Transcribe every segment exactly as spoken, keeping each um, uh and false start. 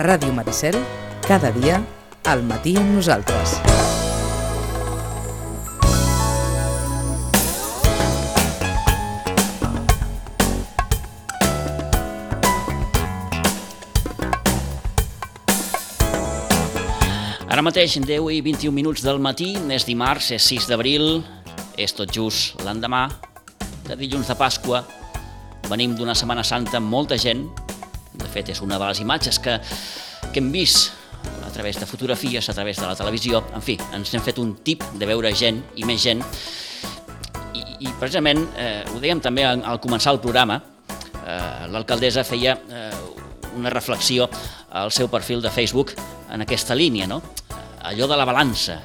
Ràdio Maricel, cada dia, al matí amb nosaltres. Ara mateix, deu i vint-i-un minuts del matí, és dimarts, és sis d'abril, és tot just l'endemà de dilluns de Pasqua. Venim d'una Setmana Santa amb molta gent. De fet, és una de les imatges que, que hem vist a través de fotografies, a través de la televisió. En fi, ens hem fet un tip de veure gent i més gent. I, i precisament, eh, ho dèiem també al, al començar el programa, eh, l'alcaldessa feia eh, una reflexió al seu perfil de Facebook en aquesta línia, no? Allò de la balança,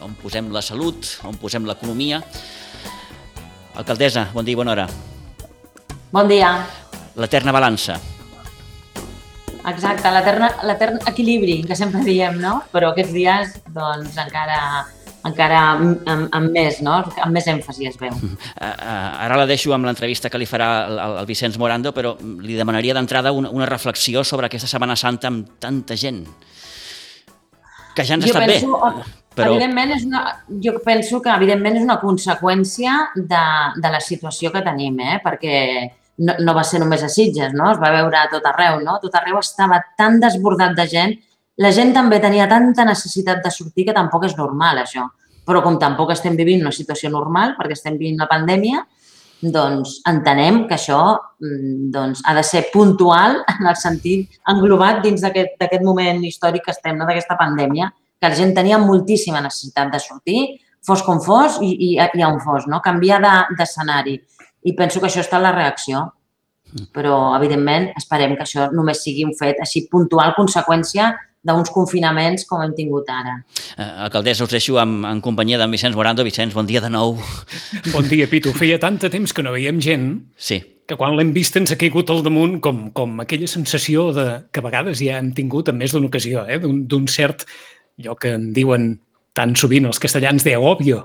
on posem la salut, on posem l'economia. Alcaldessa, bon dia i bona hora. Bon dia. L'eterna balança. Exacte, l'etern equilibri, que sempre diem, no? Però aquests dies, doncs, encara, encara amb, amb més, no? Amb més èmfasi es veu. Ara la deixo amb l'entrevista que li farà el, el Vicenç Morando, però li demanaria d'entrada una, una reflexió sobre aquesta Setmana Santa amb tanta gent. Que ja ens ha estat penso, bé. Però... Evidentment és una, jo penso que evidentment és una conseqüència de, de la situació que tenim, eh? Perquè no, no va ser només a Sitges, no? Es va veure a tot arreu, no? Tot arreu estava tan desbordat de gent. La gent també tenia tanta necessitat de sortir que tampoc és normal, això. Però com tampoc estem vivint una situació normal, perquè estem vivint la pandèmia, doncs entenem que això doncs, ha de ser puntual en el sentit englobat dins d'aquest moment històric que estem, no? D'aquesta pandèmia, que la gent tenia moltíssima necessitat de sortir, fos com fos i, i, i on fos, no? Canviar d'escenari. I penso que això està en la reacció. Però, evidentment, esperem que això només sigui un fet així puntual, conseqüència d'uns confinaments com hem tingut ara. Eh, alcaldessa, us deixo en, en companyia d'en Vicenç Morando. Vicenç, bon dia de nou. Bon dia, Pitu. Feia tant de temps que no veiem gent sí. que quan l'hem vist ens ha caigut al damunt com, com aquella sensació de, que a vegades ja hem tingut en més d'una ocasió, eh? d'un cert, allò que en diuen tan sovint els castellans de agobio,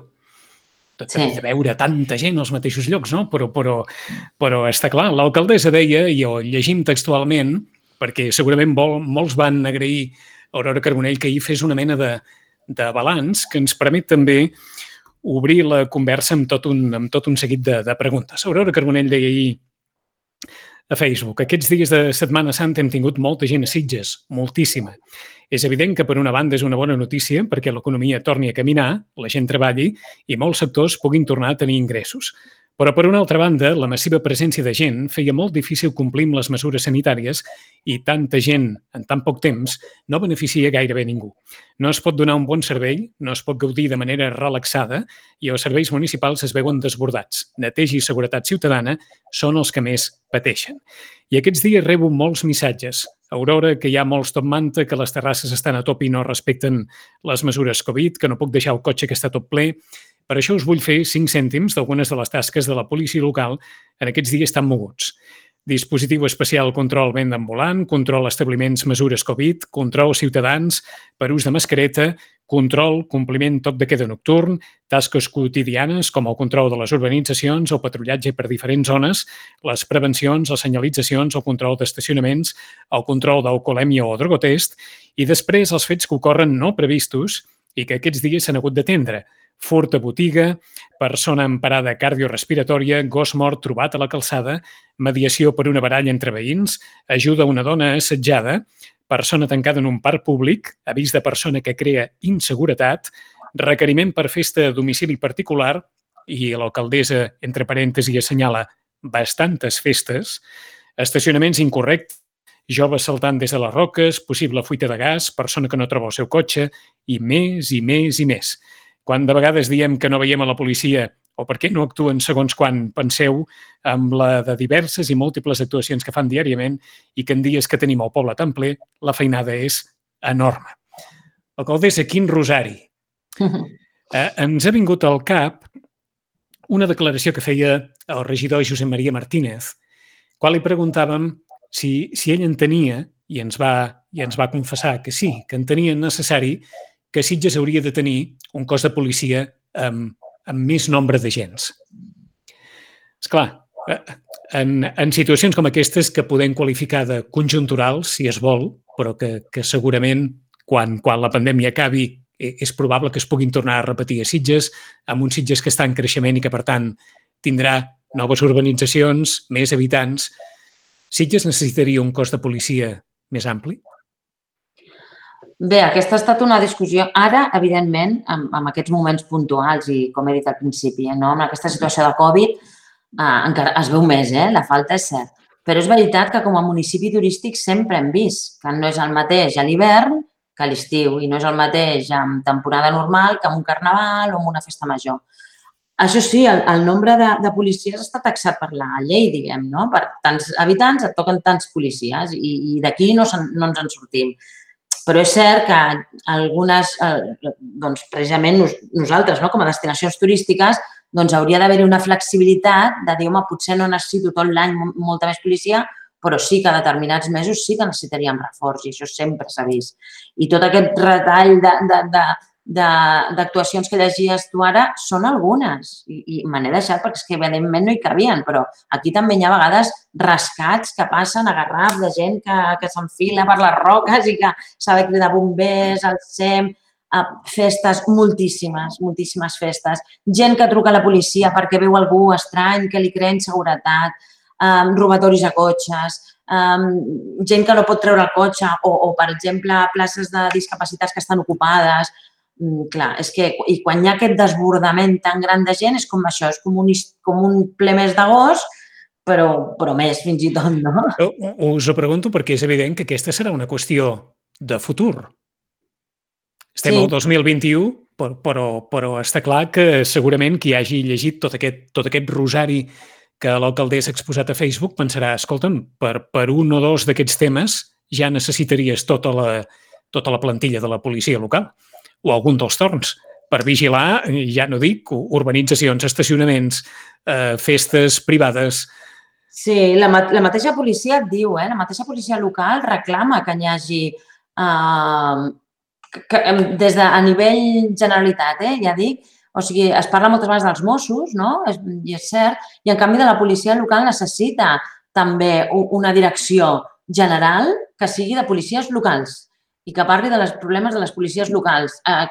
de, sí. de veure tanta gent als mateixos llocs, no? Però, però, però està clar, l'alcaldessa deia, i ho llegim textualment, perquè segurament vol, molts van agrair a Aurora Carbonell que ahir fes una mena de, de balanç que ens permet també obrir la conversa amb tot un, amb tot un seguit de, de preguntes. Aurora Carbonell deia ahir a Facebook: aquests dies de Setmana Santa hem tingut molta gent a Sitges, moltíssima. És evident que per una banda és una bona notícia perquè l'economia torni a caminar, la gent treballi i molts sectors puguin tornar a tenir ingressos. Però, per una altra banda, la massiva presència de gent feia molt difícil complir amb les mesures sanitàries i tanta gent en tan poc temps no beneficia gairebé ningú. No es pot donar un bon servei, no es pot gaudir de manera relaxada i els serveis municipals es veuen desbordats. Neteja i seguretat ciutadana són els que més pateixen. I aquests dies rebo molts missatges. Aurora, que hi ha molts top manta, que les terrasses estan a top i no respecten les mesures Covid, que no puc deixar el cotxe que està tot ple. Per això us vull fer cinc cèntims d'algunes de les tasques de la policia local en aquests dies tan moguts. Dispositiu especial control venda ambulant, control establiments mesures Covid, control ciutadans per ús de mascareta, control, compliment toc de queda nocturn, tasques quotidianes com el control de les urbanitzacions, el patrullatge per diferents zones, les prevencions, les senyalitzacions, el control d'estacionaments, el control d'alcoholèmia o drogotest i després els fets que ocorren no previstos i que aquests dies s'han hagut d'atendre. Furt a botiga, persona amb parada cardiorespiratòria, gos mort trobat a la calçada, mediació per una baralla entre veïns, ajuda a una dona assetjada, persona tancada en un parc públic, avís de persona que crea inseguretat, requeriment per festa a domicili particular, i l'alcaldessa, entre parèntesis, assenyala bastantes festes, estacionaments incorrectes, joves saltant des de les roques, possible fuita de gas, persona que no troba el seu cotxe, i més, i més, i més. Quan de vegades diem que no veiem a la policia o per què no actuen segons quan penseu amb la de diverses i múltiples actuacions que fan diàriament i que en dies que tenim el poble tan ple, la feinada és enorme. Alcaldessa, quin rosari. Eh, ens ha vingut al cap una declaració que feia el regidor Josep Maria Martínez, quan li preguntàvem si, si ell entenia, i ens, va, i ens va confessar que sí, que entenia necessari que Sitges hauria de tenir un cos de policia amb, amb més nombre d'agents. Esclar, en, en situacions com aquestes que podem qualificar de conjunturals, si es vol, però que, que segurament quan, quan la pandèmia acabi és probable que es puguin tornar a repetir a Sitges, amb uns Sitges que està en creixement i que, per tant, tindrà noves urbanitzacions, més habitants. Sitges necessitaria un cos de policia més ampli? Bé, aquesta ha estat una discussió. Ara, evidentment, en, en aquests moments puntuals i, com he dit al principi, no? En aquesta situació de Covid, eh, encara es veu més, eh? La falta és cert. Però és veritat que com a municipi turístic sempre hem vist que no és el mateix a l'hivern que a l'estiu i no és el mateix en temporada normal que en un carnaval o en una festa major. Això sí, el, el nombre de, de policies està taxat per la llei, diguem, no? Per tants habitants et toquen tants policies i, i d'aquí no, no ens en sortim. Però és cert que algunes, eh, doncs precisament nos, nosaltres, no? Com a destinacions turístiques, doncs hauria d'haver-hi una flexibilitat de dir, home, potser no necessito tot l'any molta més policia, però sí que a determinats mesos sí que necessitaríem reforç i això sempre s'ha vist. I tot aquest retall de, de, de, d'actuacions que llegies tu ara són algunes i, i me n'he deixat perquè és que evidentment no hi cabien, però aquí també hi ha a vegades rescats que passen a garraf de gent que, que s'enfila per les roques i que s'ha de cridar bombers, al S E M, festes, moltíssimes, moltíssimes festes. Gent que truca a la policia perquè veu algú estrany, que li crea inseguretat, um, robatoris a cotxes, um, gent que no pot treure el cotxe o, o, per exemple, places de discapacitats que estan ocupades. Mm, clar, és que i quan hi ha aquest desbordament tan gran de gent és com això, és com un, com un ple mes d'agost, però, però més fins i tot, no? Us ho pregunto perquè és evident que aquesta serà una qüestió de futur. Estem sí. al dos mil vint-i-u, però, però, però està clar que segurament qui hagi llegit tot aquest, tot aquest rosari que l'alcaldessa ha exposat a Facebook pensarà, escolta'm, per, per un o dos d'aquests temes ja necessitaries tota la, tota la plantilla de la policia local o algun dels torns per vigilar, ja no dic, urbanitzacions, estacionaments, eh, festes privades. Sí, la, la mateixa policia et diu, eh, la mateixa policia local reclama que hi hagi, eh, que, des de a nivell generalitat, eh, ja dic, o sigui, es parla moltes vegades dels Mossos, no? És, i és cert, i en canvi de la policia local necessita també una direcció general que sigui de policies locals i que parli dels problemes de les policies locals eh,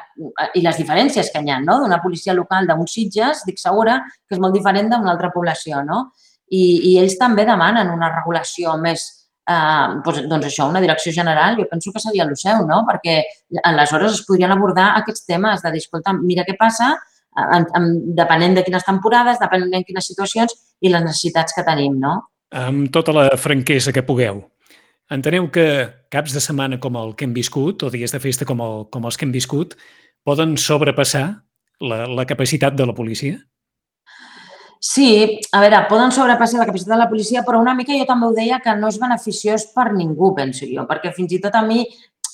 i les diferències que hi ha, no? D'una policia local d'uns Sitges, dic segura, que és molt diferent d'una altra població, no? I, i ells també demanen una regulació més, eh, doncs, doncs això, una direcció general, jo penso que seria el seu, no? Perquè aleshores es podrien abordar aquests temes de dir, escolta, mira què passa, en, en, depenent de quines temporades, depenent de quines situacions i les necessitats que tenim, no? Amb tota la franquesa que pugueu. Enteneu que caps de setmana com el que hem viscut o dies de festa com, el, com els que hem viscut poden sobrepassar la, la capacitat de la policia? Sí, a veure, poden sobrepassar la capacitat de la policia, però una mica jo també ho deia que no és beneficiós per ningú, penso jo, perquè fins i tot a mi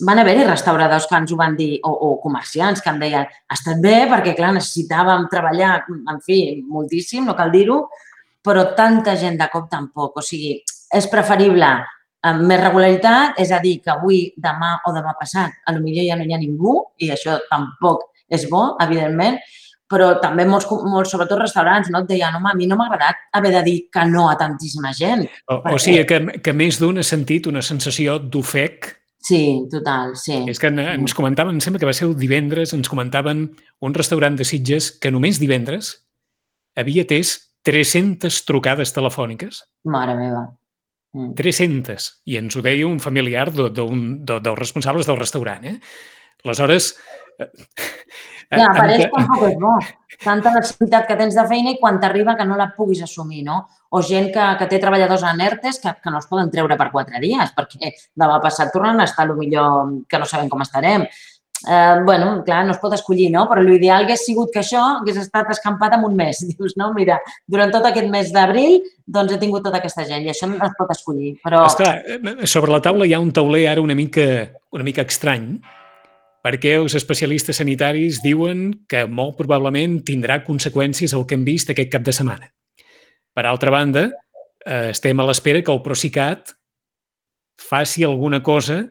van haver-hi restauradors que ens ho van dir, o, o comerciants que em deien ha estat bé perquè, clar, necessitàvem treballar, en fi, moltíssim, no cal dir-ho, però tanta gent de cop tampoc. O sigui, és preferible amb més regularitat, és a dir, que avui, demà o demà passat, potser ja no hi ha ningú i això tampoc és bo, evidentment, però també molts, molts sobretot restaurants, no? Et deien, home, a mi no m'ha agradat haver de dir que no a tantíssima gent. O, perquè... o sigui, que, que més d'un ha sentit una sensació d'ofec. Sí, total, sí. És que ens comentaven, em sembla que va ser el divendres, ens comentaven un restaurant de Sitges que només divendres havia atès tres-centes trucades telefòniques. Mare meva. Mm. tres-centes. I ens ho deia un familiar de, de un, de, dels responsables del restaurant. Eh? Aleshores... Ja, per ells tampoc és bo. Tanta necessitat que tens de feina i quan t'arriba que no la puguis assumir, no? O gent que, que té treballadors en ERTEs que, que no els poden treure per quatre dies perquè demà passat tornen a estar potser que no sabem com estarem. Eh, bueno, clar, no es pot escollir, no? Però l'ideal hagués sigut que això hagués estat escampat en un mes. Dius, no, mira, durant tot aquest mes d'abril doncs he tingut tota aquesta gent i això no es pot escollir. Però... Esclar, sobre la taula hi ha un tauler ara una mica, una mica estrany perquè els especialistes sanitaris diuen que molt probablement tindrà conseqüències el que hem vist aquest cap de setmana. Per altra banda, eh, estem a l'espera que el Procicat faci alguna cosa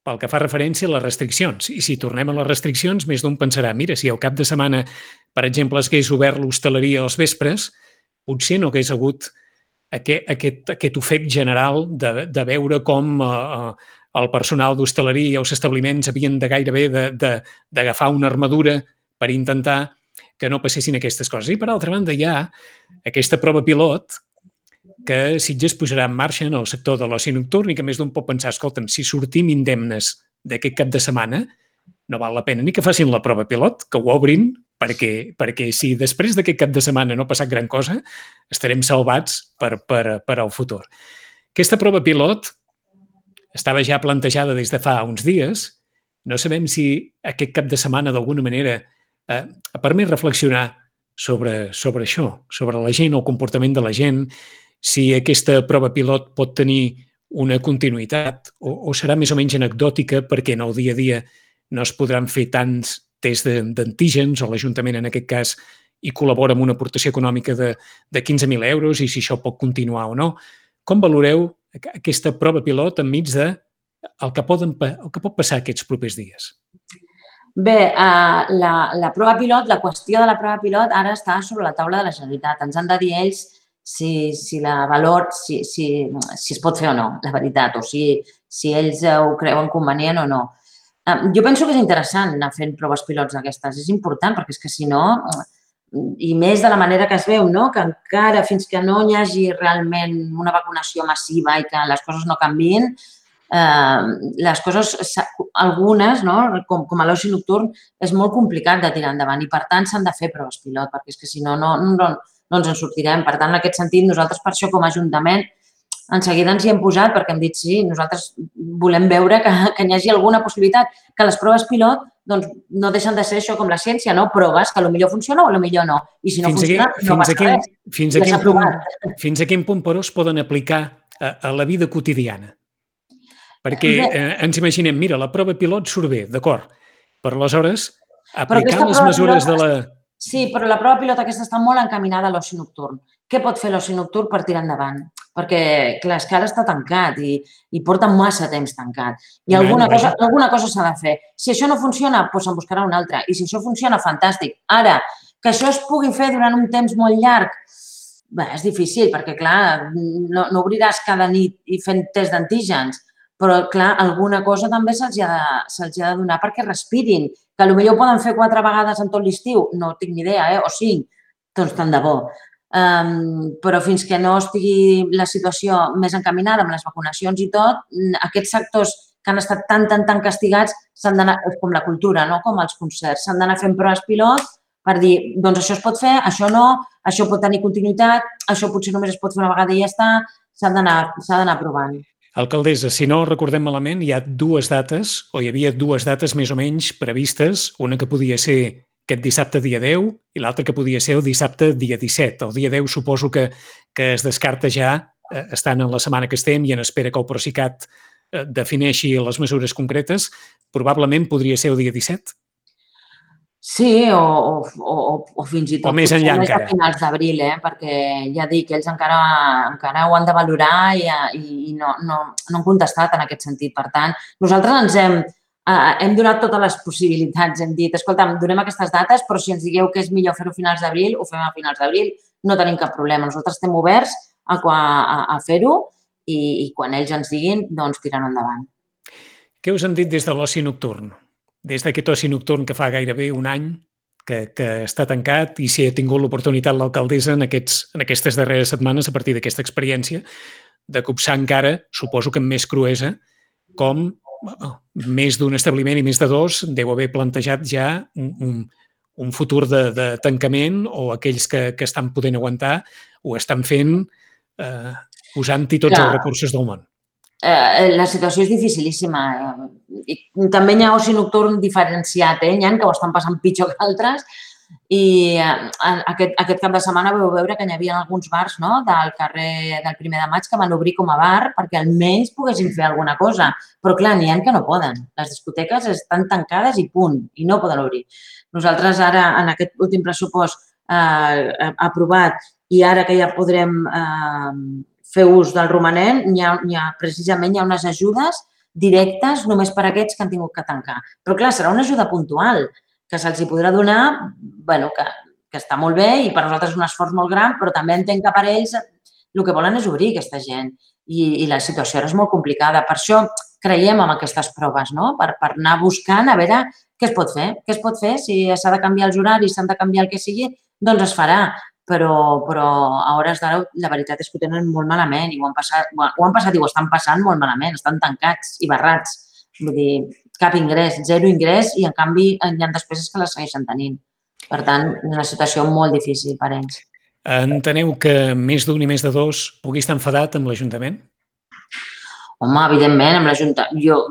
pel que fa referència a les restriccions. I si tornem a les restriccions, més d'un pensarà, mira, si el cap de setmana, per exemple, es hagués obert l'hostaleria als vespres, potser no hagués hagut aquest, aquest, aquest ofec general de, de veure com eh, el personal d'hostaleria i els establiments havien de gairebé d'agafar una armadura per intentar que no passessin aquestes coses. I, per altra banda, hi ha aquesta prova pilot que Sitges posarà en marxa en el sector de l'oci nocturn i que més d'un pot pensar, escolta'm, si sortim indemnes d'aquest cap de setmana, no val la pena ni que facin la prova pilot, que ho obrin, perquè, perquè si després d'aquest cap de setmana no ha passat gran cosa, estarem salvats per, per, per al futur. Aquesta prova pilot estava ja plantejada des de fa uns dies. No sabem si aquest cap de setmana, d'alguna manera, eh, ha permès reflexionar sobre, sobre això, sobre la gent, el comportament de la gent, si aquesta prova pilot pot tenir una continuïtat o, o serà més o menys anecdòtica perquè en el dia a dia no es podran fer tants tests d'antígens o l'Ajuntament, en aquest cas, hi col·labora amb una aportació econòmica de, de quinze mil euros i si això pot continuar o no. Com valoreu aquesta prova pilot enmig de el que, poden, el que pot passar aquests propers dies? Bé, uh, la, la prova pilot, la qüestió de la prova pilot ara està sobre la taula de la Generalitat. Ens han de dir ells si, si la valor, si, si, si es pot fer o no, la veritat, o si, si ells ho creuen convenient o no. Uh, jo penso que és interessant anar fent proves pilots d'aquestes. És important perquè és que si no, i més de la manera que es veu, no? Que encara fins que no hi hagi realment una vacunació massiva i que les coses no canvien, eh, les coses, algunes, no? com, com a l'oci nocturn, és molt complicat de tirar endavant i per tant s'han de fer proves pilot perquè és que si no, no, no, no ens en sortirem. Per tant, en aquest sentit, nosaltres per això com a Ajuntament en seguida ens hi hem posat perquè hem dit sí, nosaltres volem veure que, que hi hagi alguna possibilitat, que les proves pilot doncs, no deixen de ser això com la ciència, no? Proves que potser funciona o potser no. I si no fins funciona, aquí, no passa quin, res. Fins a, quin punt, fins a quin punt, però, es poden aplicar a, a la vida quotidiana? Perquè eh, ens imaginem, mira, la prova pilot surt bé, d'acord, però aleshores aplicar les mesures pilot, de la... Sí, però la prova pilot aquesta està molt encaminada a l'oci nocturn. Què pot fer l'oci nocturn per tirar endavant? Perquè, clar, és que ara està tancat i, i porta massa temps tancat. I alguna cosa, alguna cosa s'ha de fer. Si això no funciona, doncs se'n buscarà una altra. I si això funciona, fantàstic. Ara, que això es pugui fer durant un temps molt llarg, bé, és difícil perquè, clar, no, no obriràs cada nit i fent test d'antígens, però, clar, alguna cosa també se'ls ha, se ha de donar perquè respirin. Que potser ho poden fer quatre vegades en tot l'estiu, no tinc ni idea, eh? O cinc, doncs tant de bo. Um, però fins que no estigui la situació més encaminada amb les vacunacions i tot, aquests sectors que han estat tan, tan, tan castigats s'han d'anar, com la cultura, no? Com els concerts, s'han d'anar fent proves pilot per dir, doncs això es pot fer, això no, això pot tenir continuïtat, això potser només es pot fer una vegada i ja està, s'ha d'anar provant. Alcaldessa, si no recordem malament, hi ha dues dates, o hi havia dues dates més o menys previstes, una que podia ser aquest dissabte dia deu i l'altre que podia ser el dissabte dia disset. El dia deu suposo que, que es descarta ja, eh, estant en la setmana que estem i en espera que el Procicat eh, defineixi les mesures concretes, probablement podria ser el dia disset? Sí, o, o, o, o fins i tot o més enllà més encara. A finals d'abril, eh? Perquè ja dic que ells encara, encara ho han de valorar i, i no, no, no han contestat en aquest sentit. Per tant, nosaltres ens hem, eh, hem donat totes les possibilitats. Hem dit, escolta'm, donem aquestes dates, però si ens digueu que és millor fer-ho a finals d'abril, ho fem a finals d'abril, no tenim cap problema. Nosaltres estem oberts a, a, a fer-ho i, i quan ells ens diguin, doncs tirant endavant. Què us han dit des de l'oci nocturn? Des d'aquest oci nocturn que fa gairebé un any que, que està tancat i si ha tingut l'oportunitat l'alcaldessa en, aquests, en aquestes darreres setmanes, a partir d'aquesta experiència, de copsar encara, suposo que amb més cruesa, com oh, més d'un establiment i més de dos deu haver plantejat ja un, un, un futur de, de tancament o aquells que, que estan podent aguantar ho estan fent eh, posant-hi tots Clar. els recursos del món. La situació és dificilíssima. I també hi ha oci nocturn diferenciat, eh? Hi ha que ho estan passant pitjor que altres i aquest, aquest cap de setmana vau veure que hi havia alguns bars, no? Del carrer del primer de maig que van obrir com a bar perquè almenys poguessin fer alguna cosa. Però clar, n'hi ha que no poden. Les discoteques estan tancades i punt, i no poden obrir. Nosaltres ara, en aquest últim pressupost eh, aprovat i ara que ja podrem eh, fer ús del romanent, hi ha, hi ha, precisament hi ha unes ajudes directes només per a aquests que han tingut que tancar. Però, clar, serà una ajuda puntual que se'ls hi podrà donar, bueno, que, que està molt bé i per nosaltres és un esforç molt gran, però també entenc que per ells el que volen és obrir aquesta gent i, i la situació ara és molt complicada. Per això creiem en aquestes proves, no? Per, per anar buscant a veure què es pot fer. Què es pot fer? Si s'ha de canviar els horaris, s'han de canviar el que sigui, doncs es farà. Però, però a hores d'ara la veritat és que ho tenen molt malament i ho han passat, ho han passat i ho estan passant molt malament. Estan tancats i barrats. Vull dir, cap ingrés, zero ingrés i en canvi hi ha despeses que les segueixen tenint. Per tant, una situació molt difícil per ells. Enteneu que més d'un i més de dos pugui estar enfadat amb l'Ajuntament? Home, evidentment, amb l'Ajuntament, jo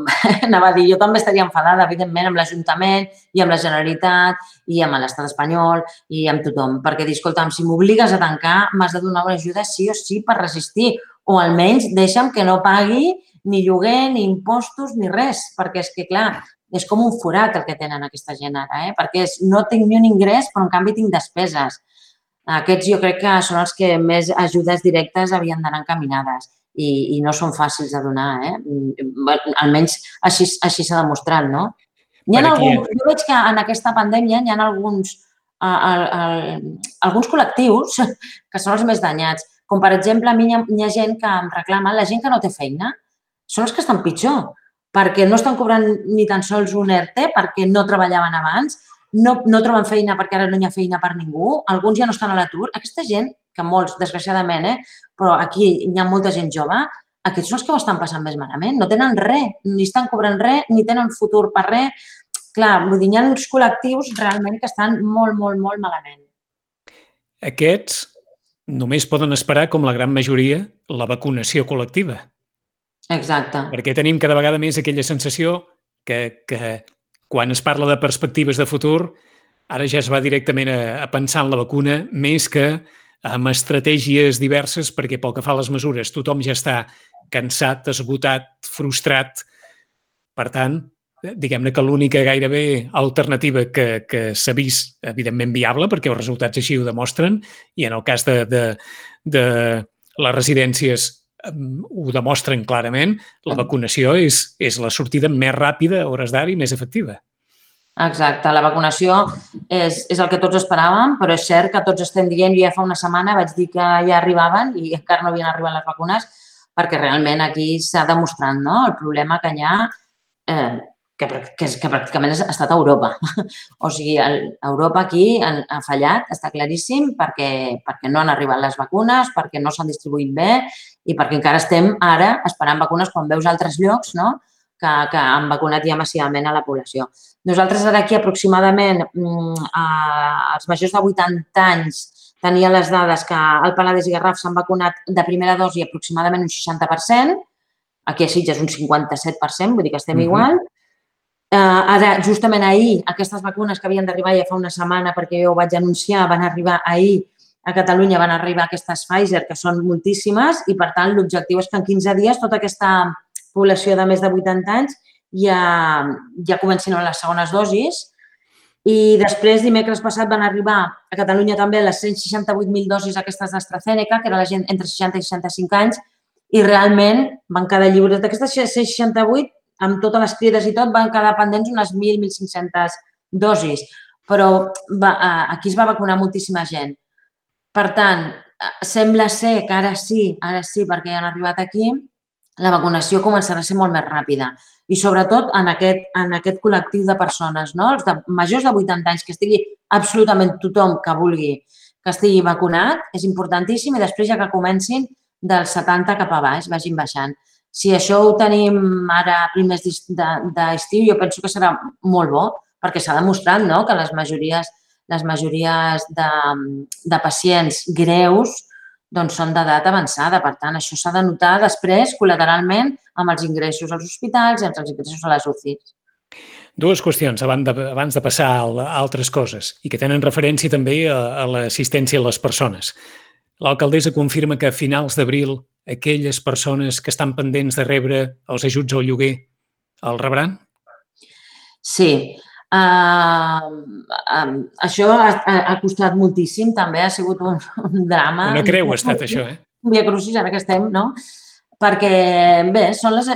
anava a dir, jo també estaria enfadada, evidentment, amb l'Ajuntament i amb la Generalitat i amb l'Estat espanyol i amb tothom, perquè dir, escolta'm, si m'obligues a tancar, m'has de donar una ajuda sí o sí per resistir, o almenys deixa'm que no pagui ni lloguer, ni impostos, ni res, perquè és que, clar, és com un forat el que tenen aquesta gent ara, eh? Perquè és, no tinc ni un ingrés, però en canvi tinc despeses. Aquests jo crec que són els que més ajudes directes havien d'anar encaminades. I, i no són fàcils de donar, eh? Almenys així així s'ha demostrat, no? Hi ha alguns, jo veig que en aquesta pandèmia hi ha alguns, a, a, a, alguns col·lectius que són els més danyats. Com, per exemple, a mi hi ha, hi ha gent que em reclama, la gent que no té feina, són els que estan pitjor, perquè no estan cobrant ni tan sols un E R T, perquè no treballaven abans, no, no troben feina perquè ara no hi ha feina per ningú, alguns ja no estan a l'atur. Aquesta gent, que molts, desgraciadament, eh, però aquí hi ha molta gent jove, aquests són els que ho estan passant més malament. No tenen res, ni estan cobrant res, ni tenen futur per res. Clar, vull dir, hi ha uns col·lectius realment que estan molt, molt, molt malament. Aquests només poden esperar, com la gran majoria, la vacunació col·lectiva. Exacte. Perquè tenim cada vegada més aquella sensació que, que quan es parla de perspectives de futur, ara ja es va directament a, a pensar en la vacuna més que amb estratègies diverses, perquè pel que fa a les mesures tothom ja està cansat, esgotat, frustrat. Per tant, diguem-ne que l'única gairebé alternativa que, que s'ha vist, evidentment viable, perquè els resultats així ho demostren, i en el cas de, de, de les residències ho demostren clarament, la vacunació és, és la sortida més ràpida a hores d'ara i més efectiva. Exacte, la vacunació és, és el que tots esperàvem, però és cert que tots estem dient, jo ja fa una setmana vaig dir que ja arribaven i encara no havien arribat les vacunes, perquè realment aquí s'ha demostrat, no?, el problema que hi ha, eh, que, que, que pràcticament ha estat a Europa. O sigui, el, Europa aquí ha, ha fallat, està claríssim, perquè, perquè no han arribat les vacunes, perquè no s'han distribuït bé i perquè encara estem ara esperant vacunes quan veus altres llocs, no?, que, que han vacunat ja massivament a la població. Nosaltres ara aquí aproximadament eh, els majors de vuitanta anys tenia les dades que al Penedès i Garraf s'han vacunat de primera dosi aproximadament un seixanta per cent, aquí a Sitges un cinquanta-set per cent, vull dir que estem uh-huh. igual. Eh, ara, justament ahir, aquestes vacunes que havien d'arribar ja fa una setmana, perquè jo ho vaig anunciar, van arribar ahir a Catalunya, van arribar aquestes Pfizer, que són moltíssimes, i per tant l'objectiu és que en quinze dies tota aquesta població de més de vuitanta anys ja, ja comencin amb les segones dosis. I després, dimecres passat, van arribar a Catalunya també les cent seixanta-vuit mil dosis aquestes d'AstraZeneca, que era la gent entre seixanta i seixanta-cinc anys, i realment van quedar lliures. D'aquestes cent seixanta-vuit, amb totes les crides i tot, van quedar pendents unes mil a mil cinc-centes dosis. Però va, aquí es va vacunar moltíssima gent. Per tant, sembla ser que ara sí, ara sí, perquè ja han arribat aquí, la vacunació començarà a ser molt més ràpida. I sobretot en aquest, en aquest col·lectiu de persones, no? Els de majors de vuitanta anys, que estigui absolutament tothom que vulgui que estigui vacunat, és importantíssim, i després ja que comencin dels setanta cap a baix, vagin baixant. Si això ho tenim ara a primers d'estiu, jo penso que serà molt bo, perquè s'ha demostrat, no?, que les majories, les majories de, de pacients greus doncs són d'edat avançada. Per tant, això s'ha de notar després, col·lateralment, amb els ingressos als hospitals i amb els ingressos a les U C Is. Dues qüestions abans de, abans de passar a altres coses i que tenen referència també a, a l'assistència a les persones. L'alcaldessa confirma que a finals d'abril aquelles persones que estan pendents de rebre els ajuts al lloguer el rebran? Sí. Uh, um, això ha, ha costat moltíssim, també ha sigut un, un drama. Una creu ha estat això, eh? Un via crucis, ara que estem, no? Perquè, bé, són les...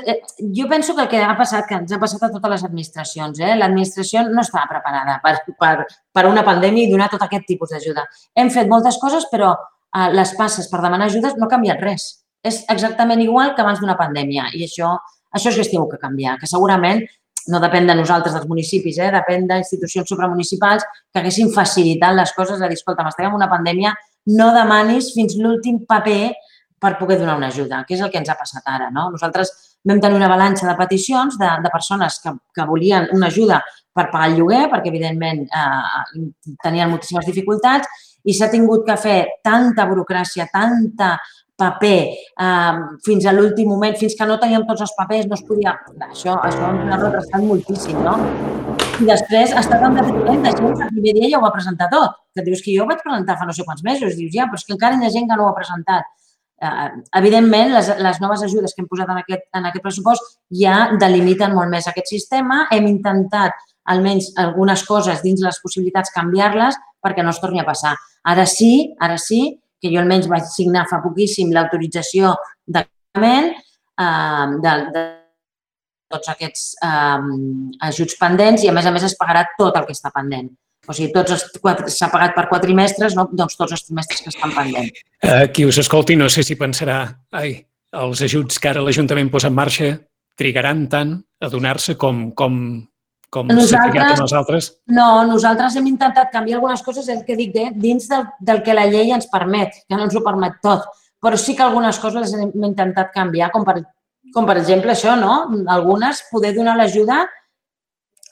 Jo penso que el que ha passat, que ens ha passat a totes les administracions, eh? L'administració no estava preparada per, per, per una pandèmia i donar tot aquest tipus d'ajuda. Hem fet moltes coses, però les passes per demanar ajudes no ha canviat res. És exactament igual que abans d'una pandèmia i això, això és que es té que canviar, que segurament no depèn de nosaltres, dels municipis, eh? Depèn d'institucions supramunicipals que haguessin facilitat les coses, a dir, escolta, estem en una pandèmia, no demanis fins l'últim paper per poder donar una ajuda, que és el que ens ha passat ara. No? Nosaltres vam tenir una balança de peticions de, de persones que, que volien una ajuda per pagar el lloguer, perquè, evidentment, eh, tenien moltíssimes dificultats i s'ha tingut que fer tanta burocràcia, tanta paper, eh, fins a l'últim moment, fins que no teníem tots els papers, no es podia... Això, això ens ha retrasat moltíssim, no? I després ha estat amb detriment de gent que el primer dia ja ho va presentar tot. Que dius que jo ho vaig presentar fa no sé quants mesos. Dius, ja, però és que encara hi ha gent que no ho ha presentat. Eh, evidentment, les, les noves ajudes que hem posat en aquest, en aquest pressupost ja delimiten molt més aquest sistema. Hem intentat, almenys algunes coses dins les possibilitats, canviar-les perquè no es torni a passar. Ara sí, ara sí, que jo almenys vaig signar fa poquíssim l'autorització de pagament eh, de, de tots aquests eh, ajuts pendents i, a més a més, es pagarà tot el que està pendent. O sigui, s'ha pagat per quatre trimestres, no? Doncs tots els trimestres que estan pendents. Qui us escolti, no sé si pensarà, ai, els ajuts que ara l'Ajuntament posa en marxa trigaran tant a donar-se com... com... com s'ha trigat amb els altres? No, nosaltres hem intentat canviar algunes coses, el que dic, eh, dins del, del que la llei ens permet, que no ens ho permet tot, però sí que algunes coses les hem intentat canviar, com per, com per exemple això, no? Algunes, poder donar l'ajuda.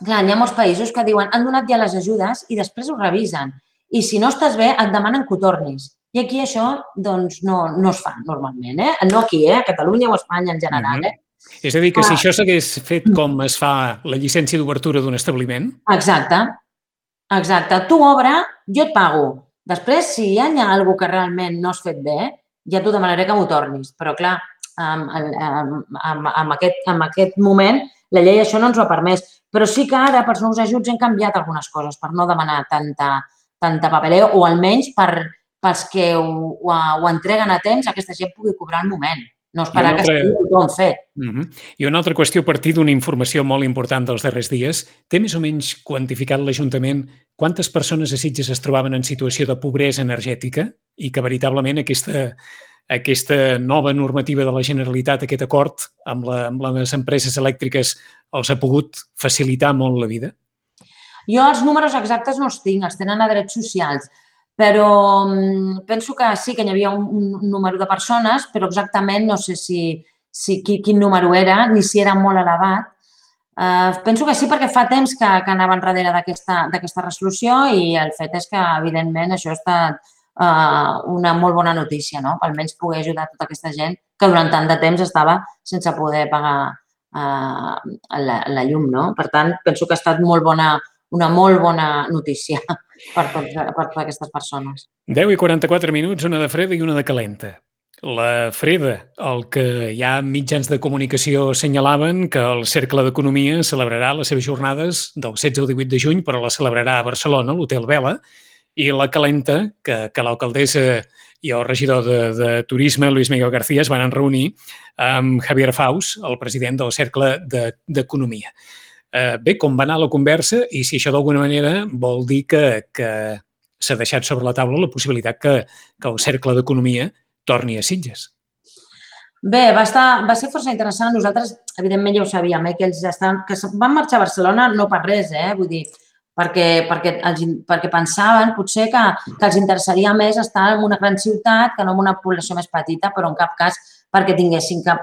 Clar, hi ha molts països que diuen han donat ja les ajudes i després ho revisen. I si no estàs bé, et demanen que ho tornis. I aquí això, doncs, no, no es fa normalment, eh? No aquí, eh? A Catalunya o a Espanya en general, eh? És a dir, que si això s'hagués fet com es fa la llicència d'obertura d'un establiment... Exacte, exacte. Tu obre, jo et pago. Després, si hi ha alguna cosa que realment no has fet bé, ja t'ho demanaré que m'ho tornis. Però, clar, en, en, en, en, aquest, en aquest moment la llei això no ens ho ha permès. Però sí que ara, pels nous ajuts, hem canviat algunes coses per no demanar tanta, tanta papeleo o almenys per, pels que ho, ho, ho entreguen a temps, aquesta gent pugui cobrar al moment. No esperar altra... que estigui tothom fet. Uh -huh. I una altra qüestió a partir d'una informació molt important dels darrers dies. Té més o menys quantificat l'Ajuntament quantes persones a Sitges es trobaven en situació de pobresa energètica i que veritablement aquesta, aquesta nova normativa de la Generalitat, aquest acord amb, la, amb les empreses elèctriques, els ha pogut facilitar molt la vida? Jo els números exactes no els tinc, els tenen a Drets Socials. Però penso que sí que hi havia un, un número de persones, però exactament no sé si, si quin, quin número era, ni si era molt elevat. Uh, penso que sí perquè fa temps que, que anaven darrere d'aquesta resolució i el fet és que, evidentment, això ha estat uh, una molt bona notícia, no? Almenys poder ajudar tota aquesta gent que durant tant de temps estava sense poder pagar uh, la, la llum, no? Per tant, penso que ha estat molt bona, una molt bona notícia per, tot, per totes aquestes persones. deu i quaranta-quatre minuts, una de freda i una de calenta. La freda, el que ja mitjans de comunicació assenyalaven que el Cercle d'Economia celebrarà les seves jornades del setze al divuit de juny, però la celebrarà a Barcelona, a l'Hotel Vela, i la calenta, que, que l'alcaldessa i el regidor de, de Turisme, Luis Miguel García, es van reunir amb Javier Faus, el president del Cercle d'Economia. Eh, bé, com va anar la conversa i si això d'alguna manera vol dir que, que s'ha deixat sobre la taula la possibilitat que, que el Cercle d'Economia torni a Sitges. Bé, va, estar, va ser força interessant. Nosaltres, evidentment, ja ho sabíem, eh, que ells estan, que van marxar a Barcelona no per res, eh, vull dir, perquè, perquè, els, perquè pensaven potser que, que els interessaria més estar en una gran ciutat que no en una població més petita, però en cap cas perquè tinguessin cap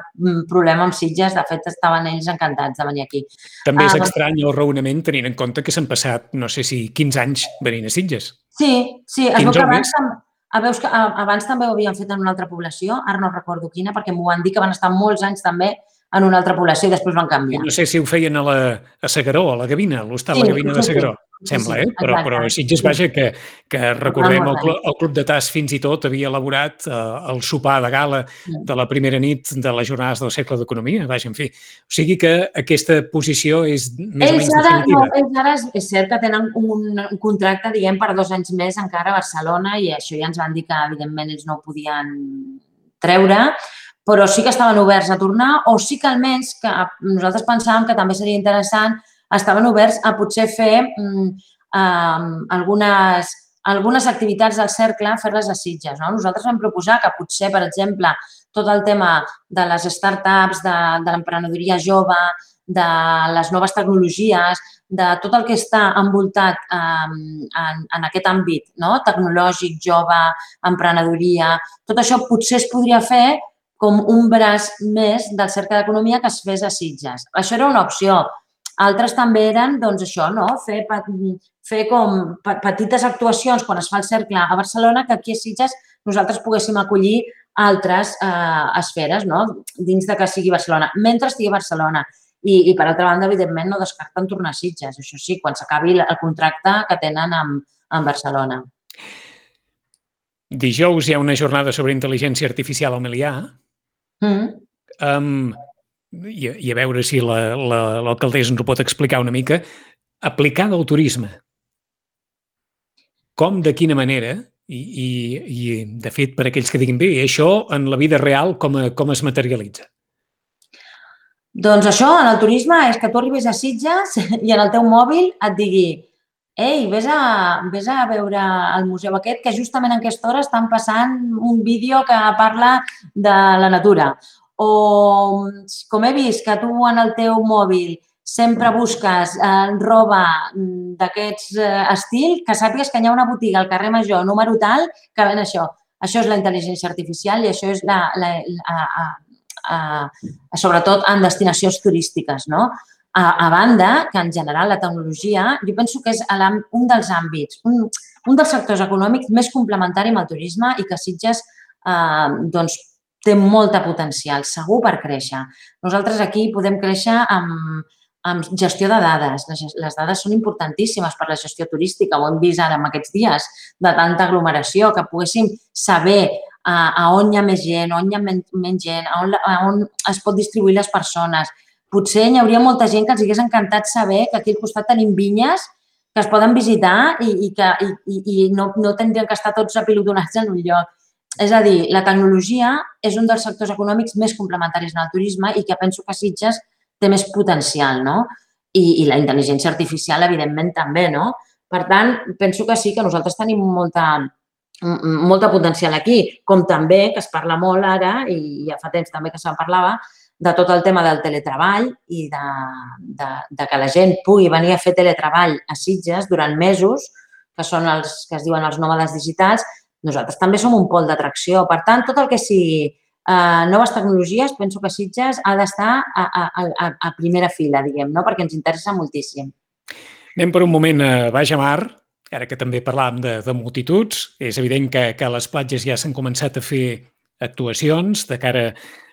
problema amb Sitges. De fet, estaven ells encantats de venir aquí. També és uh, estrany el raonament tenint en compte que s'han passat, no sé si quinze anys venint a Sitges. Sí, sí. Es veu que abans, veus que abans també ho havien fet en una altra població, ara no recordo quina, perquè m'ho van dir que van estar molts anys també en una altra població i després van canviar. No sé si ho feien a, la, a Segaró, a la Gavina, a l'hostal sí, La Gavina de Segaró, sí, sembla, eh? Però, però Sitges, vaja, que, que recordem, el, el Club de Tas fins i tot havia elaborat eh, el sopar de gala de la primera nit de les jornades del Cercle d'Economia, vaja, en fi. O sigui que aquesta posició és més ells o menys ara, definitiva. No, ells ara és, és cert que tenen un, un contracte, diguem, per dos anys més encara a Barcelona i això ja ens van dir que, evidentment, ells no ho podien treure, però sí que estaven oberts a tornar o sí que almenys que nosaltres pensàvem que també seria interessant, estaven oberts a potser fer um, um, algunes algunes activitats del cercle, fer-les a Sitges. No? Nosaltres vam proposar que potser, per exemple, tot el tema de les start-ups, de, de l'emprenedoria jove, de les noves tecnologies, de tot el que està envoltat eh, en, en aquest àmbit, no? Tecnològic, jove, emprenedoria, tot això potser es podria fer com un braç més del cercle d'economia que es fes a Sitges. Això era una opció. Altres també eren, doncs, això, no? Fer, fer com petites actuacions quan es fa el cercle a Barcelona que aquí a Sitges nosaltres poguéssim acollir altres eh, esferes, no? Dins de que sigui Barcelona, mentre estigui a Barcelona. I, i per altra banda, evidentment, no descarten tornar a Sitges. Això sí, quan s'acabi el contracte que tenen amb, amb Barcelona. Dijous hi ha una jornada sobre intel·ligència artificial al Melià. Mm. Um, i, I a veure si l'alcaldessa ens ho pot explicar una mica. Aplicada al turisme. Com, de quina manera, i, i, i de fet, per aquells que diguin bé, això en la vida real com, com es materialitza? Doncs això, en el turisme, és que tu arribis a Sitges i en el teu mòbil et digui ei, vés a, vés a veure el museu aquest que justament en aquesta hora estan passant un vídeo que parla de la natura. O, com he vist que tu en el teu mòbil sempre busques eh, roba d'aquests eh, estil, que sàpigues que hi ha una botiga al carrer Major, número tal, que ven això. Això és la intel·ligència artificial i això és la... la, la, la Uh, sobretot en destinacions turístiques. No? A, a banda, que en general la tecnologia, jo penso que és un dels àmbits, un, un dels sectors econòmics més complementari amb el turisme i que Sitges uh, doncs, té molta potencial, segur per créixer. Nosaltres aquí podem créixer amb, amb gestió de dades. Les, les dades són importantíssimes per la gestió turística, ho hem vist ara en aquests dies, de tanta aglomeració, que poguéssim saber A, a on hi ha més gent, on hi ha men, menys gent, a on, a on es pot distribuir les persones. Potser hi hauria molta gent que els hagués encantat saber que aquí al costat tenim vinyes que es poden visitar i, i que i, i no, no tindrien que estar tots apilotonats en un lloc. És a dir, la tecnologia és un dels sectors econòmics més complementaris en el turisme i que penso que Sitges té més potencial, no? I, i la intel·ligència artificial, evidentment, també, no? Per tant, penso que sí, que nosaltres tenim molta... molta potencial aquí, com també, que es parla molt ara, i ja fa temps també que se'n parlava, de tot el tema del teletreball i de, de, de que la gent pugui venir a fer teletreball a Sitges durant mesos, que són els que es diuen els nòmades digitals. Nosaltres també som un pol d'atracció. Per tant, tot el que sigui eh, noves tecnologies, penso que Sitges ha d'estar a, a, a, a primera fila, diguem, no? Perquè ens interessa moltíssim. Anem per un moment a Baix a Mar. Ara que també parlàvem de, de multituds, és evident que, que a les platges ja s'han començat a fer actuacions de cara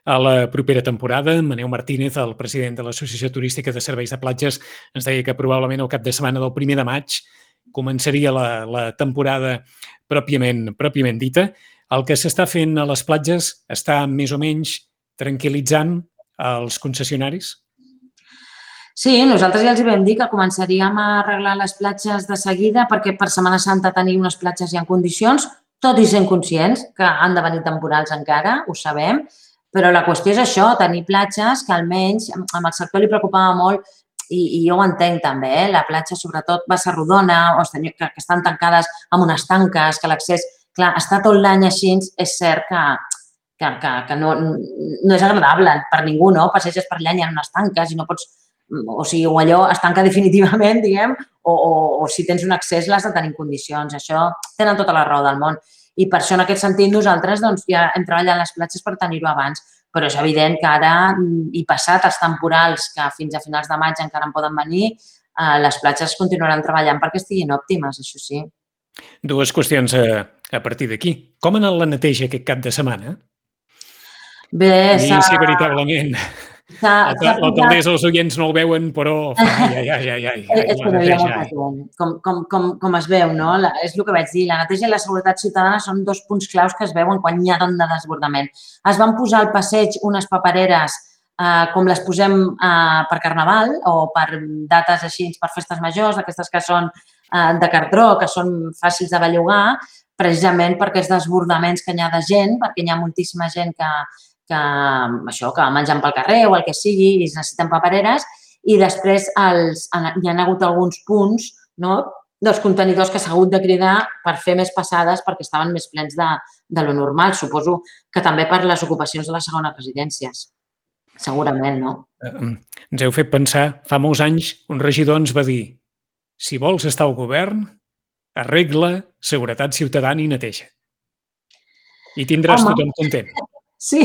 a la propera temporada. Maneu Martínez, el president de l'Associació Turística de Serveis de Platges, ens deia que probablement el cap de setmana del primer de maig començaria la, la temporada pròpiament, pròpiament dita. El que s'està fent a les platges està més o menys tranquil·litzant els concessionaris? Sí, nosaltres ja els vam dir que començaríem a arreglar les platges de seguida perquè per Setmana Santa tenim unes platges ja en condicions, tot i sent conscients que han de venir temporals encara, ho sabem, però la qüestió és això, tenir platges que almenys amb el sector li preocupava molt i, i jo ho entenc també, eh? La platja sobretot va ser rodona o que, que estan tancades amb unes tanques, que l'accés, clar, està tot l'any així, és cert que, que, que, que no, no és agradable per ningú, no? Passeges per allà, hi ha unes tanques i no pots... O sigui, o allò es tanca definitivament, diguem, o, o, o si tens un accés l'has de tenir en condicions. Això tenen tota la raó del món. I per això, en aquest sentit, nosaltres doncs, ja hem treballat les platges per tenir-ho abans. Però és evident que ara, i passat els temporals, que fins a finals de maig encara en poden venir, eh, les platges continuaran treballant perquè estiguin òptimes, això sí. Dues qüestions a, a partir d'aquí. Com ha anat la neteja aquest cap de setmana? Bé, s'ha... Sí, veritablement... L'alcaldessa, els oients no el veuen, però... Ai, ai, ai, ai, ai, és que no hi ha molta gent, com, com, com, com es veu, no? La, és el que vaig dir, la neteja i la seguretat ciutadana són dos punts claus que es veuen quan hi ha tant de desbordament. Es van posar al passeig unes papereres eh, com les posem eh, per Carnaval o per dates així, per festes majors, aquestes que són eh, de cartró, que són fàcils de bellugar, precisament per aquests desbordaments que hi ha de gent, perquè hi ha moltíssima gent que que, això, que mengen pel carrer o el que sigui i es necessiten papereres i després els, hi ha hagut alguns punts, no? dels contenidors que s'ha hagut de cridar per fer més passades perquè estaven més plens de, de lo normal. Suposo que també per les ocupacions de les segones residències. Segurament, no? Ens heu fet pensar, fa molts anys un regidor ens va dir: si vols estar al govern, arregla seguretat ciutadana i neteja. I tindràs Home. tothom content. Sí,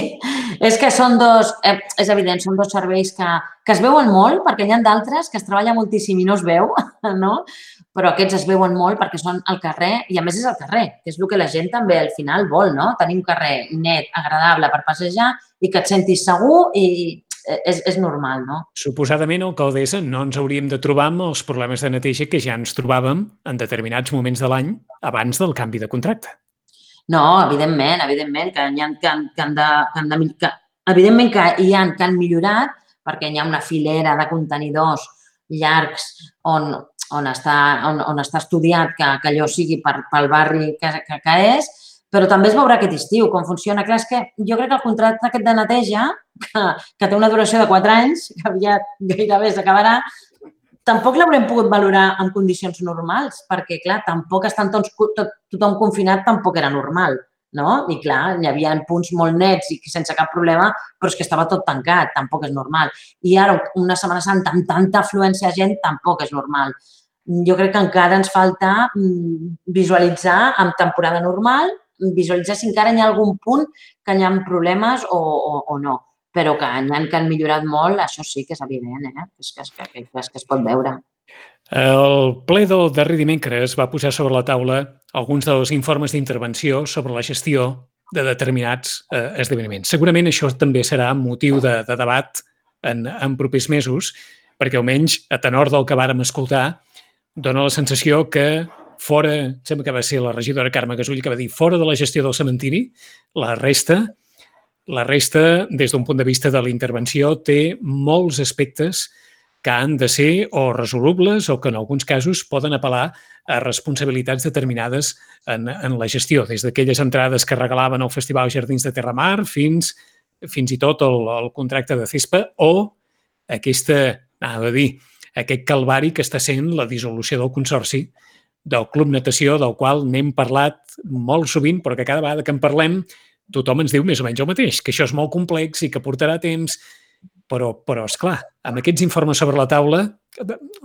és que són dos, eh, és evident, són dos serveis que, que es veuen molt, perquè hi ha d'altres que es treballa moltíssim i no es veu, no? Però aquests es veuen molt perquè són al carrer i a més és al carrer, que és el que la gent també al final vol, no? Tenir un carrer net, agradable per passejar i que et sentis segur i és, és normal, no? Suposadament, alcaldessa, no ens hauríem de trobar amb els problemes de neteja que ja ens trobàvem en determinats moments de l'any abans del canvi de contracte. No, evidentment, evidentment, que hi ha que han, que han de... Que han de que, evidentment que hi ha que han millorat perquè hi ha una filera de contenidors llargs on, on, està, on, on està estudiat que, que allò sigui per, pel barri que, que, que és, però també es veurà aquest estiu com funciona. Clar, és que jo crec que el contracte aquest de neteja, que, que té una duració de quatre anys, que aviat gairebé s'acabarà, tampoc l'haurem pogut valorar en condicions normals, perquè, clar, tampoc estan tots, tot, tothom confinat, tampoc era normal, no? I, clar, hi havia punts molt nets i sense cap problema, però és que estava tot tancat, tampoc és normal. I ara, una Setmana Santa amb tanta afluència de gent, tampoc és normal. Jo crec que encara ens falta visualitzar amb temporada normal, visualitzar si encara hi ha algun punt que hi ha problemes o, o, o no. Però que hi ha que han millorat molt, això sí que és evident, eh? És que, és que, és que es pot veure. El ple del darrer dimecres va posar sobre la taula alguns dels informes d'intervenció sobre la gestió de determinats eh, esdeveniments. Segurament això també serà motiu de, de debat en, en propers mesos, perquè almenys a tenor del que vàrem escoltar dona la sensació que fora, sembla que va ser la regidora Carme Gasull que va dir, fora de la gestió del cementiri, la resta La resta, des d'un punt de vista de la intervenció, té molts aspectes que han de ser o resolubles o que en alguns casos poden apel·lar a responsabilitats determinades en, en la gestió, des d'aquelles entrades que regalaven al Festival Jardins de Terramar fins, fins i tot el, el contracte de Cespa o aquesta, anava a dir, aquest calvari que està sent la dissolució del consorci del Club Natació, del qual n'hem parlat molt sovint, però que cada vegada que en parlem tothom ens diu més o menys el mateix, que això és molt complex i que portarà temps, però, però esclar, amb aquests informes sobre la taula,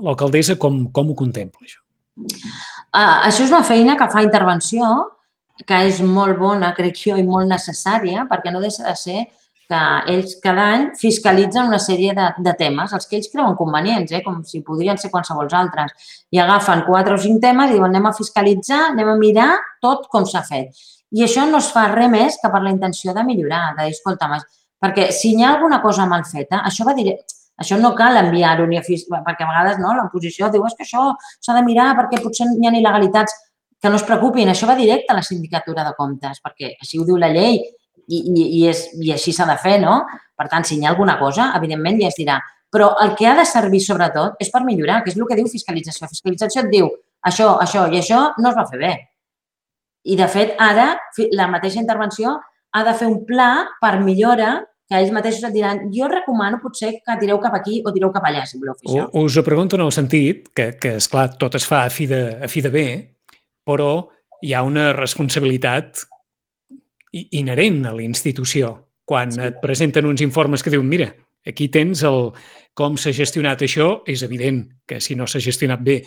l'alcaldessa com, com ho contempla, això? Uh, això és una feina que fa intervenció, que és molt bona, crec jo, i molt necessària, perquè no deixa de ser que ells cada any fiscalitzen una sèrie de, de temes, els que ells creuen convenients, eh, com si podrien ser qualsevol altres, i agafen quatre o cinc temes i diuen anem a fiscalitzar, anem a mirar tot com s'ha fet. I això no es fa res més que per la intenció de millorar, de dir, escolta, perquè si hi ha alguna cosa mal feta, això va dir, això no cal enviar-ho ni a fiscal, perquè a vegades no, l'oposició diu és que això s'ha de mirar perquè potser hi ha il·legalitats, que no es preocupin, això va directe a la sindicatura de comptes, perquè així ho diu la llei i, i, i, és, i així s'ha de fer, no? Per tant, si hi ha alguna cosa, evidentment ja es dirà. Però el que ha de servir sobretot és per millorar, que és el que diu fiscalització. Fiscalització et diu això, això i això no es va fer bé. I, de fet, ara la mateixa intervenció ha de fer un pla per millora que ells mateixos et diran jo recomano potser que tireu cap aquí o tireu cap allà, si voleu fer això. Us ho pregunto en el sentit que, que esclar, tot es fa a fi de, a fi de bé, però hi ha una responsabilitat inherent a la institució. Quan sí. et presenten uns informes que diuen mira, aquí tens el com s'ha gestionat això, és evident que si no s'ha gestionat bé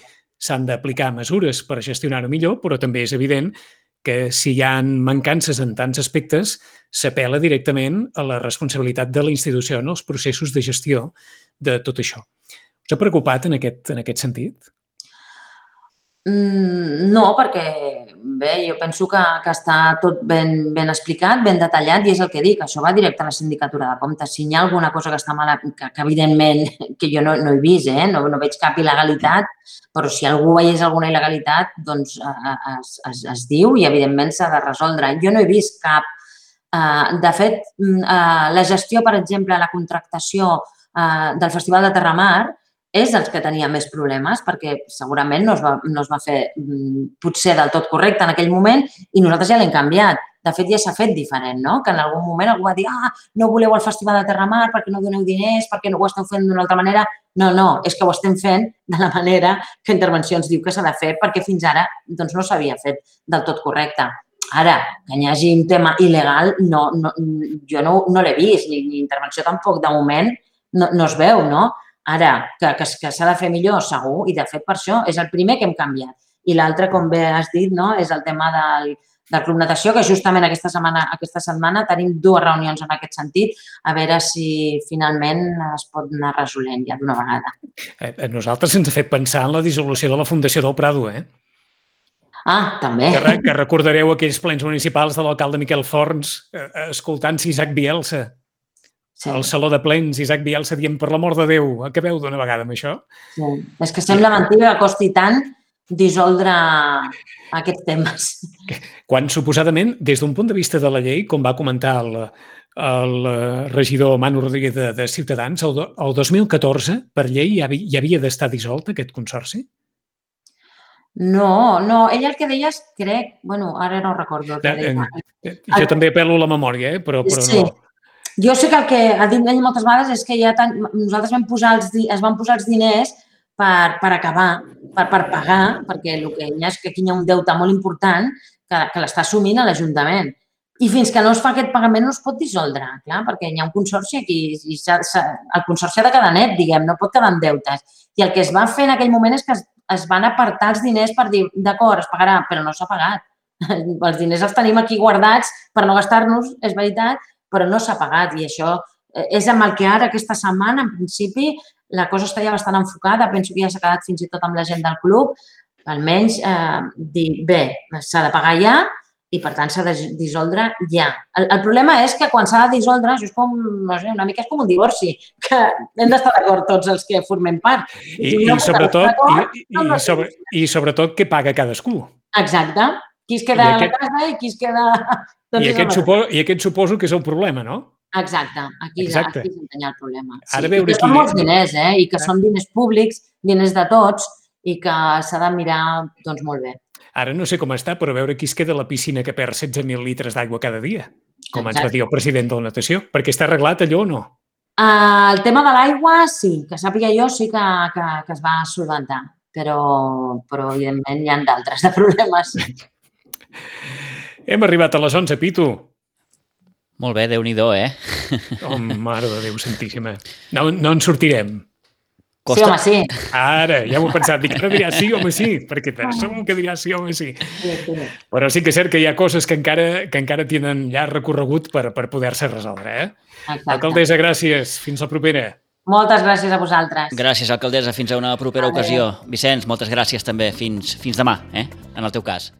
s'han d'aplicar mesures per gestionar-ho millor, però també és evident que si hi ha mancances en tants aspectes, s'apel·la directament a la responsabilitat de la institució en els processos de gestió de tot això. Us ha preocupat en aquest, en aquest sentit? Mm, no, perquè bé, jo penso que, que està tot ben, ben explicat, ben detallat i és el que dic, això va directe a la sindicatura de comptes. Si hi ha alguna cosa que està mala, que, que evidentment que jo no, no he vist, eh? no, no veig cap il·legalitat, però si algú veiés alguna il·legalitat, doncs es, es, es diu i evidentment s'ha de resoldre. Jo no he vist cap. De fet, la gestió, per exemple, la contractació del Festival de Terramar és els que tenia més problemes perquè segurament no es va, no es va fer potser del tot correcte en aquell moment i nosaltres ja l'hem canviat. de fet ja s'ha fet diferent, no? Que en algun moment algú va dir ah, no voleu el Festival de Terramar perquè no doneu diners, perquè no ho esteu fent d'una altra manera. No, no, és que ho estem fent de la manera que Intervencions diu que s'ha de fer perquè fins ara doncs, no s'havia fet del tot correcte. Ara, que hi hagi un tema il·legal, no, no, jo no, no l'he vist, ni, ni Intervenció tampoc, de moment no, no es veu, no? Ara, que, que, que s'ha de fer millor, segur, i de fet per això és el primer que hem canviat. I l'altre, com bé has dit, no, és el tema del, del Club Natació, que justament aquesta setmana, aquesta setmana tenim dues reunions en aquest sentit, a veure si finalment es pot anar resolent ja d'una vegada. A nosaltres ens ha fet pensar en la dissolució de la Fundació del Prado, eh? Ah, també. Que, que recordareu aquells plens municipals de l'alcalde Miquel Forns eh, escoltant-se Isaac Bielsa. Sí. Al Saló de Plens, Isaac Bielsa dient, per l'amor de Déu, acabeu d'una vegada amb això? Sí. És que sembla mentida que costi tant dissoldre aquests temes. Quan, suposadament, des d'un punt de vista de la llei, com va comentar el, el regidor Manu Rodríguez de, de Ciutadans, el, el dos mil catorze, per llei, ja, hi havia d'estar dissolt aquest consorci? No, no, ell el que deia és, crec, bueno, ara no recordo el que deia. Jo també apel·lo a la memòria, eh? però, però sí. no... Jo sé que el que ha dit ell moltes vegades és que ja tan, nosaltres vam posar els, es van posar els diners per, per acabar, per, per pagar, perquè el que hi ha és que aquí hi ha un deute molt important que, que l'està assumint a l'Ajuntament. I fins que no es fa aquest pagament no es pot dissoldre, clar, perquè hi ha un consorci aquí i s'ha, s'ha, el consorci ha de quedar net, diguem, no pot quedar en deutes. I el que es va fer en aquell moment és que es, es van apartar els diners per dir, d'acord, es pagarà, però no s'ha pagat. Els diners els tenim aquí guardats per no gastar-nos, és veritat, però no s'ha pagat i això és amb el que ara, aquesta setmana, en principi, la cosa està ja bastant enfocada. Penso que ja s'ha quedat fins i tot amb la gent del club. Almenys eh, dir, bé, s'ha de pagar ja i, per tant, s'ha de dissoldre ja. El, el problema és que quan s'ha de dissoldre, això és com, no sé, una mica és com un divorci, que hem d'estar d'acord tots els que formem part. I, i, no sobretot, i, i, i, sobre, I sobretot què paga cadascú. Exacte. Qui es queda aquest... a la casa i qui es queda... I aquest, suposo, I aquest suposo que és el problema, no? Exacte, aquí, Exacte. aquí és on hi ha el problema. Sí. Ara veure I que són molts diners, eh? I que són diners públics, diners de tots, i que s'ha de mirar doncs, molt bé. Ara no sé com està, però veure qui es queda a la piscina que perd setze mil litres d'aigua cada dia, com Exacte. Ens va dir el president de la natació, perquè està arreglat allò o no? Uh, el tema de l'aigua, sí, que sàpiga jo, sí que, que, que es va solventar, però, però evidentment hi ha d'altres de problemes. Hem arribat a les onze, Pitu. Molt bé, Déu-n'hi-do, eh? Oh, mare de Déu santíssima. No, no en sortirem. Costa... Sí, home, sí. Ara, ja m'ho he pensat. Dic, ara dirà sí, home, sí, perquè segur que dirà sí, home, sí. Sí, sí. Però sí que és cert que hi ha coses que encara, que encara tenen llarg recorregut per, per poder-se resoldre, eh? Exacte. Alcaldessa, gràcies. Fins la propera. Moltes gràcies a vosaltres. Gràcies, alcaldessa. Fins a una propera ocasió. Vicenç, moltes gràcies també. Fins, fins demà, eh? En el teu cas.